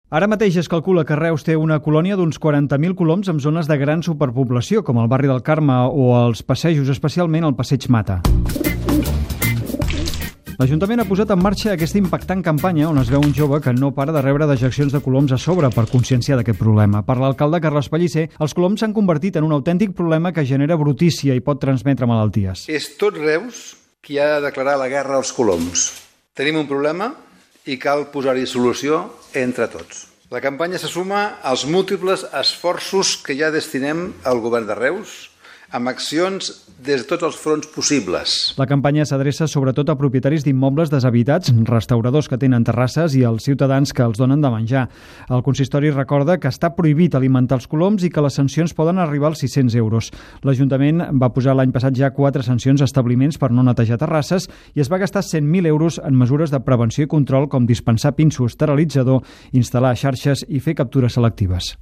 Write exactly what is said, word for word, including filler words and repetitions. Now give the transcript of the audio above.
Ara mateix es calcula que Reus té una colònia d'uns quaranta mil coloms en zones de gran superpoblació, com el barri del Carme o els passejos, especialment el passeig Mata. L'Ajuntament ha posat en marxa aquesta impactant campanya on es veu un jove que no para de rebre dejeccions de coloms a sobre per conscienciar d'aquest problema. Per l'alcalde Carles Pellicer, els coloms s'han convertit en un autèntic problema que genera brutícia i pot transmetre malalties. És tot Reus qui ha de declarar la guerra als coloms. Tenim un problema i cal posar-hi solució entre tots. La campanya se suma als múltiples esforços que ja destinem al govern de Reus amb accions des de tots els fronts possibles. La campanya s'adreça sobretot a propietaris d'immobles deshabitats, restauradors que tenen terrasses i als ciutadans que els donen de menjar. El consistori recorda que està prohibit alimentar els coloms i que les sancions poden arribar als sis-cents euros. L'Ajuntament va posar l'any passat ja quatre sancions a establiments per no netejar terrasses i es va gastar cent mil euros en mesures de prevenció i control com dispensar pinso esterilitzador, instal·lar xarxes i fer captures selectives.